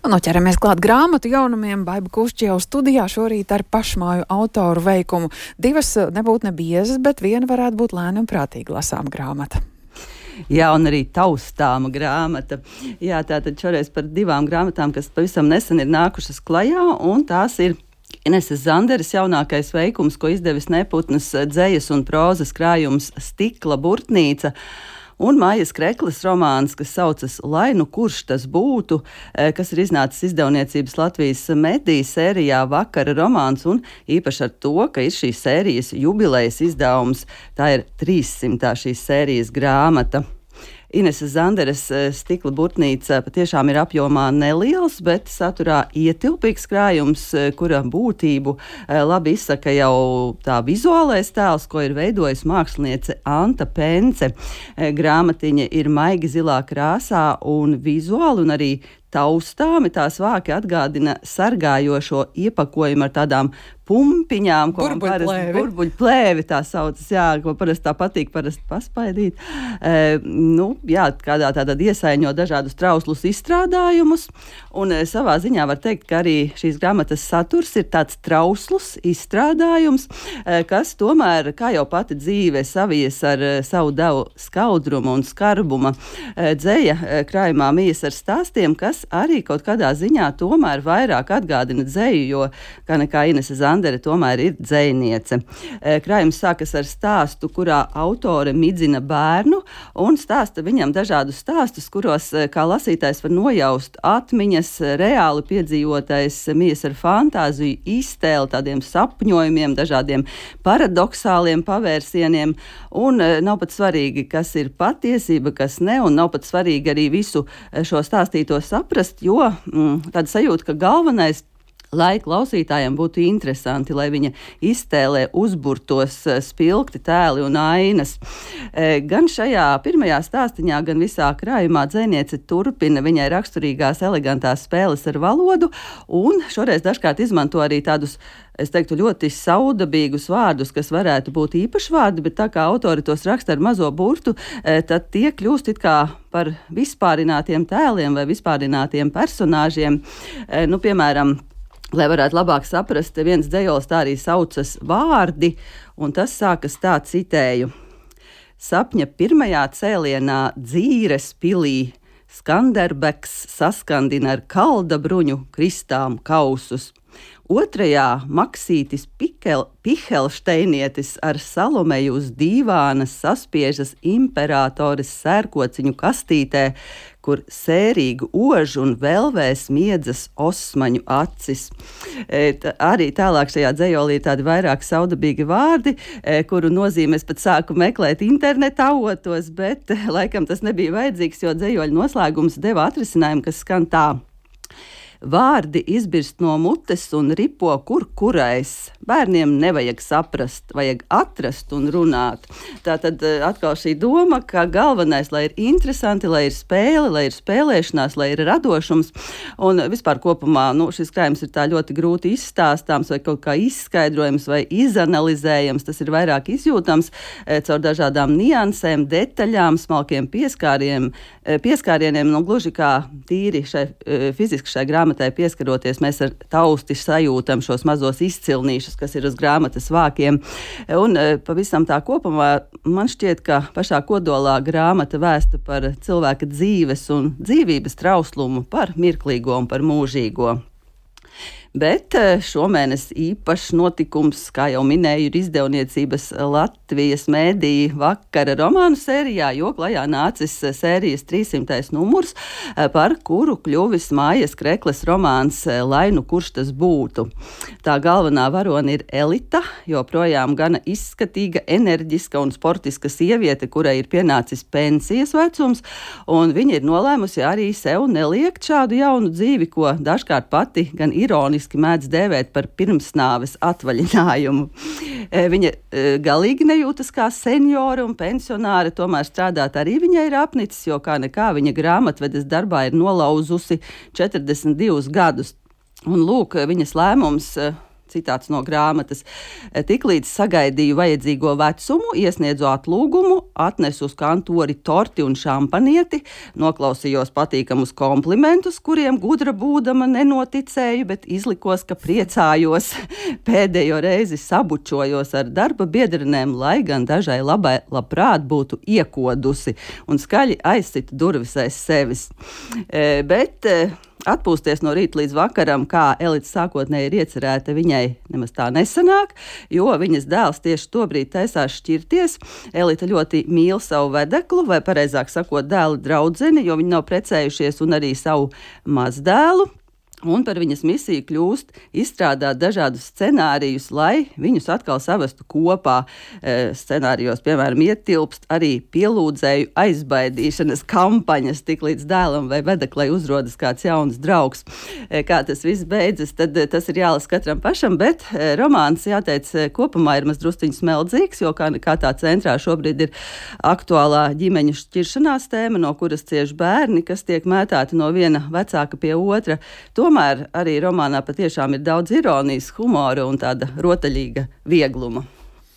Nu, ķeramies klāt grāmatu jaunumiem. Baiba Kušķi jau studijā šorīt ar pašmāju autoru veikumu. Divas nebūtu nebiezas, bet viena varētu būt lēna un prātīgi lasām grāmata. Jā, un arī taustāma grāmata. Jā, tātad šoreiz par divām grāmatām, kas pavisam nesen ir nākušas klajā, un tās ir Ineses Zanderes jaunākais veikums, ko izdevis Neputnas dzejas un prózas krājums Stikla burtnīca, un Maijas Kreklas romāns, kas saucas Lai nu kurš tas būtu, kas ir iznācis izdevniecības Latvijas mediju sērijā Vakara romāns, un īpaši ar to, ka ir šīs sērijas jubilejas izdevums. Tā ir 300. šīs sērijas grāmata. Ineses Zanderes Stikla burtnīca patiešām ir apjomā neliels, bet saturā ietilpīgs krājums, kura būtību labi izsaka jau tā vizuālais tēls, ko ir veidojis māksliniece Anta Pence. Grāmatiņa ir maigi zilā krāsā un vizuāli un arī taustāmi tās vāki atgādina sargājošo iepakojumu ar tādām pumpiņām, ko burbuļplēvi tā saucas, jā, ko parasti tā patīk paspaidīt. Jā, kādā tādā iesaiņo dažādus trauslus izstrādājumus, un savā ziņā var teikt, ka arī šīs grāmatas saturs ir tāds trauslus izstrādājums, kas tomēr, kā jau pati dzīve savies ar savu devu skaudrumu un skarbuma, dzeja krājumā mijas ar stāstiem, kas arī kaut kādā ziņā tomēr vairāk atgādina dzeju, jo kā nekā Inese Zandere tomēr ir dzejniece. Krājums sākas ar stāstu, kurā autore midzina bērnu un stāsta viņam dažādus stāstus, kuros kā lasītājs var nojaust atmiņas, reāli piedzīvotais mijas ar fantāziju, iztēli, tādiem sapņojumiem, dažādiem paradoxāliem pavērsieniem, un nav pat svarīgi, kas ir patiesība, kas ne, un nav pat svarīgi arī visu šo stāstīto saprast, jo tāda sajūta, ka galvenais, lai klausītājiem būtu interesanti, lai viņa iztēlē uzburtos spilgti tēli un ainas. Gan šajā pirmajā stāstiņā, gan visā krājumā dzejniece turpina viņai raksturīgās elegantās spēles ar valodu, un šoreiz dažkārt izmanto arī tādus, es teiktu, ļoti saudabīgus vārdus, kas varētu būt īpašvārdi, bet tā kā autori tos raksta ar mazo burtu, tad tie kļūst it kā par vispārinātiem tēliem vai vispārinātiem personāžiem. Piemēram, lai varētu labāk saprast, viens dzejols tā arī saucas Vārdi, un tas sākas tā, citēju. Sapņa pirmajā cēlienā Dzīres pilī Skanderbeks saskandina ar kaldabruņu kristām kausus. Otrajā Maksītis Pihelšteinietis ar Salomeju uz dīvānas saspiežas imperatores sērkociņu kastītē, kur sērīgu ožu un velvē smiedzas osmaņu acis. Arī tālāk šajā dzejolī ir tādi vairāk saudabīgi vārdi, kuru nozīmes pat sāku meklēt interneta avotos, bet laikam tas nebija vajadzīgs, jo dzejoļu noslēgums deva atrisinājumu, kas skan tā. Vārdi izbirst no mutes un ripo kurais. Bērniem nevajag saprast, vajag atrast un runāt. Tātad atkal šī doma, ka galvenais, lai ir interesanti, lai ir spēle, lai ir spēlēšanās, lai ir radošums. Un vispār kopumā šis krājums ir tā ļoti grūti izstāstāms vai kaut kā izskaidrojams vai izanalizējams. Tas ir vairāk izjūtams caur dažādām niansēm, detaļām, smalkiem pieskārieniem. Gluži kā tīri fiziski šai grāmatai pieskaroties, mēs ar tausti sajūtam šos mazos izcilnīšus, kas ir uz grāmatas vākiem. Un pavisam tā kopumā man šķiet, ka pašā kodolā grāmata vēsta par cilvēka dzīves un dzīvības trauslumu, par mirklīgo un par mūžīgo. Bet šomēnes īpašs notikums, kā jau minēju, ir izdevniecības Latvijas mediju Vakara romānu sērijā, jo klajā nācis sērijas 300. numurs, par kuru kļuvis Maijas Kreklas romāns Lai nu kurš tas būtu. Tā galvenā varone ir Elita, joprojām gana izskatīga, enerģiska un sportiska sieviete, kurai ir pienācis pensijas vecums, un viņa ir nolēmusi arī sev neliekt šādu jaunu dzīvi, ko dažkārt pati gan ironiski mēdz dēvēt par pirmsnāves atvaļinājumu. Viņa galīgi nejūtas kā seniora un pensionāre, tomēr strādāt arī viņai ir apnicis, jo kā nekā viņa grāmatvedes darbā ir nolauzusi 42 gadus. Un lūk, viņas lēmums citāts no grāmatas. Tiklīdz sagaidīju vajadzīgo vecumu, iesniedzu atlūgumu, atnesu uz kantori torti un šampanieti, noklausījos patīkamus komplimentus, kuriem gudra būdama nenoticēju, bet izlikos, ka priecājos. Pēdējo reizi sabučojos ar darba biedrenēm, lai gan dažai labprāt būtu iekodusi un skaļi aizsita durvis aiz sevis. Bet atpūsties no rīta līdz vakaram, kā Elita sākotnēji ir iecerēta, viņai nemaz tā nesanāk, jo viņas dēls tieši tobrīd taisās šķirties. Elita ļoti mīl savu vedeklu, vai pareizāk sakot, dēla draudzeni, jo viņi nav precējušies, un arī savu mazdēlu. Un par viņas misiju kļūst izstrādāt dažādus scenārijus, lai viņus atkal savestu kopā. Scenārijos, piemēram, ietilpst arī pielūdzēju aizbaidīšanas kampaņas, tik līdz dēlam vai vedeklai uzrodas kāds jauns draugs. Kā tas viss beidzas, tad tas ir jālasa katram pašam, bet romāns, jāteic, kopumā ir mazdrusciņš smeldzīgs, jo kā tā centrā šobrīd ir aktuālā ģimeņu šķiršanās tēma, no kuras cieš bērni, kas tiek mētāti no viena vecāka pie otra. Tomēr arī romānā patiešām ir daudz ironijas, humora un tāda rotaļīga viegluma.